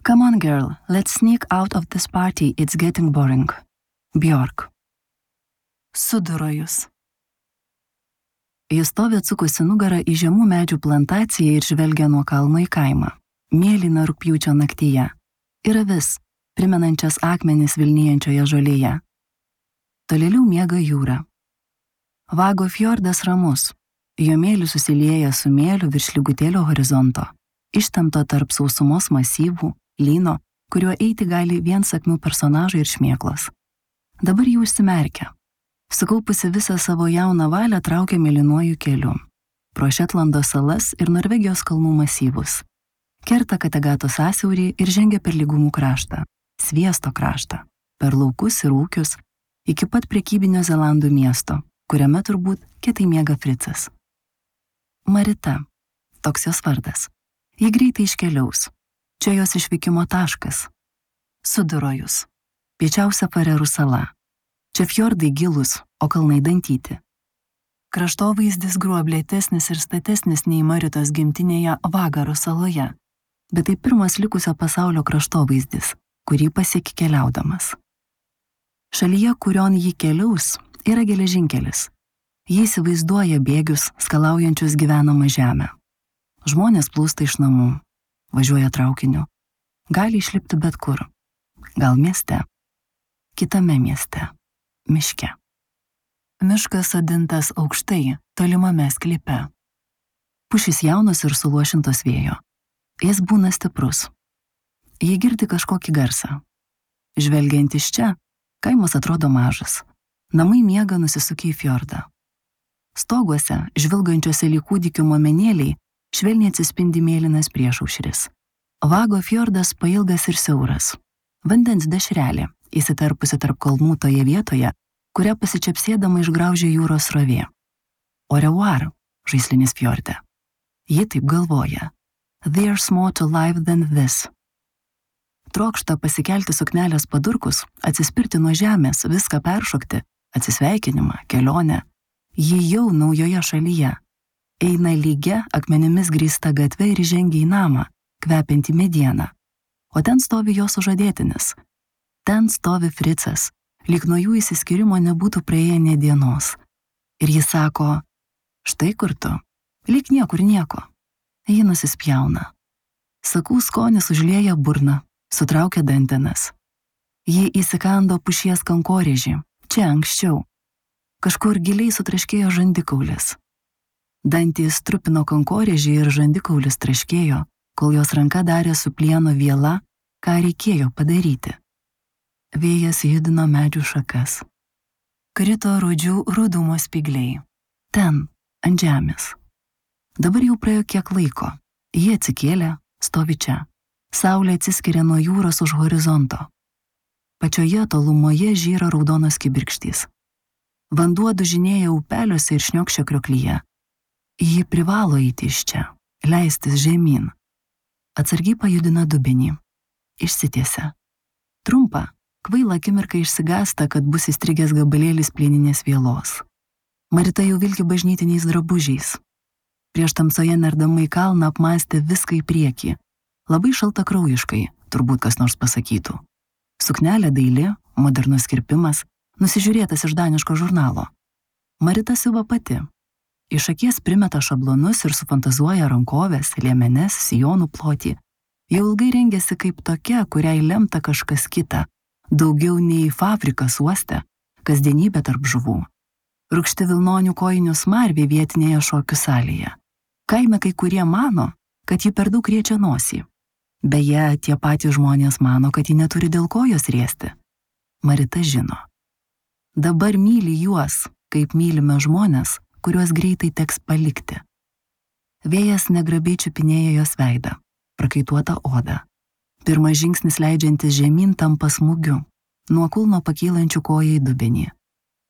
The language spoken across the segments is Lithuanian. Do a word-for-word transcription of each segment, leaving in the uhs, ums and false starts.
Come on, girl, let's sneak out of this party, it's getting boring. Bjork. Sudurojus. Jis stovi atsukusi nugarą į žemų medžių plantaciją ir žvelgia nuo kalno į kaimą. Mėlyna rugpjūčio naktyje. Ir avis, primenančias akmenis vilnijančioje žolėje. Tolėliau miega jūra. Vago fjordas ramus. Jo mėlis susilieja su mėliu virš lygutėlio horizonto, ištempto tarp sausumos masyvų, lyno, kuriuo eiti gali vien sakmių personažai ir šmėklos. Dabar jį užsimerkia. Sukaupusi visą savo jauną valią traukia mėlynuoju keliu. Pro Šetlando salas ir Norvegijos kalnų masyvus. Kerta Kategato sąsiaurį ir žengia per lygumų kraštą, Sviesto kraštą, per laukus ir ūkius, iki pat prekybinio Zelandų miesto, kuriame turbūt kietai miega Fricas. Marita, toks jos vardas. Ji greitai iškeliaus. Čia jos išvykimo taškas. Sudurojus. Piečiausia Farerų sala. Čia fjordai gilus, o kalnai dantyti. Kraštovaizdis gruoblėtesnis ir statesnis nei Maritos gimtinėje Vagaro saloje, bet tai pirmas likusio pasaulio kraštovaizdis, kurį pasieki keliaudamas. Šalyje, kurion jį keliaus, yra geležinkelis. Jį įsivaizduoja bėgius, skalaujančius gyvenamą žemę. Žmonės plūsta iš namų, važiuoja traukiniu, gali išlipti bet kur, gal mieste, kitame mieste. Miške. Miškas sodintas aukštai, tolimame sklype. Pušys jaunos ir suluošintos vėjo. Jis būna stiprus. Jie girdi kažkokį garsą. Žvelgiant iš čia, kaimas atrodo mažas. Namai miega nusisukę į fjordą. Stoguose, žvilgančiuose lyg kūdikių momenėliai, švelniai atsispindi mėlynas priešaušris. Vago fjordas pailgas ir siauras. Vandens dešrelė, įsiterpusi tarp kalnų toje vietoje, kurią pasičiapsėdama išgraužė jūros srovė. Au revoir, žaislinis fjorde. Ji taip galvoja. There's more to life than this. Trokšta pasikelti suknelės padurkus, atsispirti nuo žemės, viską peršokti, atsisveikinimą, kelionę. Ji jau naujoje šalyje. Eina lygia, akmenimis grįsta gatve ir žengia į namą, kvepiantį medieną. O ten stovi jo sužadėtinis. Ten stovi Fricas, lyg nuo jų įsiskyrimo nebūtų praėję nė dienos. Ir jis sako, štai kur tu, lyg niekur nieko. Ji nusispjauna. Sakų skonis užlieja burną, sutraukia dantenas. Ji įsikando pušies kankorėžį, čia anksčiau. Kažkur giliai sutraškėjo žandikaulis. Dantys trupino kankorėžį ir žandikaulis traškėjo, kol jos ranka darė su plieno viela, ką reikėjo padaryti. Vėjas judino medžių šakas. Krito rudžių rudumo spygliai. Ten, ant žemės. Dabar jau praėjo kiek laiko. Jie atsikėlė, stovi čia. Saulė atsiskiria nuo jūros už horizonto. Pačioje tolumoje žyra raudonos kibirkštys. Vanduo dužinėja upeliuose ir šniokščia krioklyje. Ji privalo eiti iš čia, leistis žemyn. Atsargiai pajudina dubenį. Išsitiesia. Trumpa. Kvaila akimirka išsigąsta, kad bus įstrigęs gabalėlis plieninės vielos. Marita jau vilki bažnytiniais drabužiais. Prieš tamsoje nerdama į kalną apmąstė viską į priekį. Labai šaltakraujiškai, turbūt kas nors pasakytų. Suknelė daili, modernus kirpimas, nusižiūrėtas iš daniško žurnalo. Marita siuva pati. Iš akies primeta šablonus ir sufantazuoja rankovės, liemenes, sijonų plotį. Jau ilgai rengiasi kaip tokia, kuriai lemta kažkas kita. Daugiau nei fabrikas uoste, kasdienybė tarp žuvų. Rūgšti vilnonių kojinių smarvė vietinėje šokių salėje. Kaime kai kurie mano, kad ji per daug riečia nosį. Beje, tie patys žmonės mano, kad ji neturi dėl kojos riesti. Marita žino. Dabar myli juos, kaip mylime žmonės, kuriuos greitai teks palikti. Vėjas negrabiai čiupinėja jos veidą, prakaituotą odą. Pirmas žingsnis leidžiantis žemyn tampa smūgiu, nuo kulno pakylančių koją į dubenį.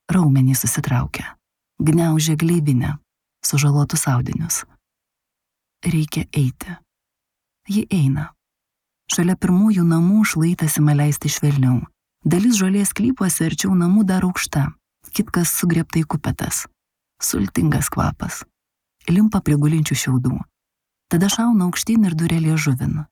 Raumenys susitraukia, gniaužia gleivinę, sužalotus audinius. Reikia eiti. Ji eina. Šalia pirmųjų namų šlaitas ima leisti švelniau. Dalis žolės klypuose arčiau namų dar aukšta, kitkas sugriebtai kupetas. Sultingas kvapas. Limpa prie gulinčių šiaudų. Tada šauna aukštyn ir duria liežuvin.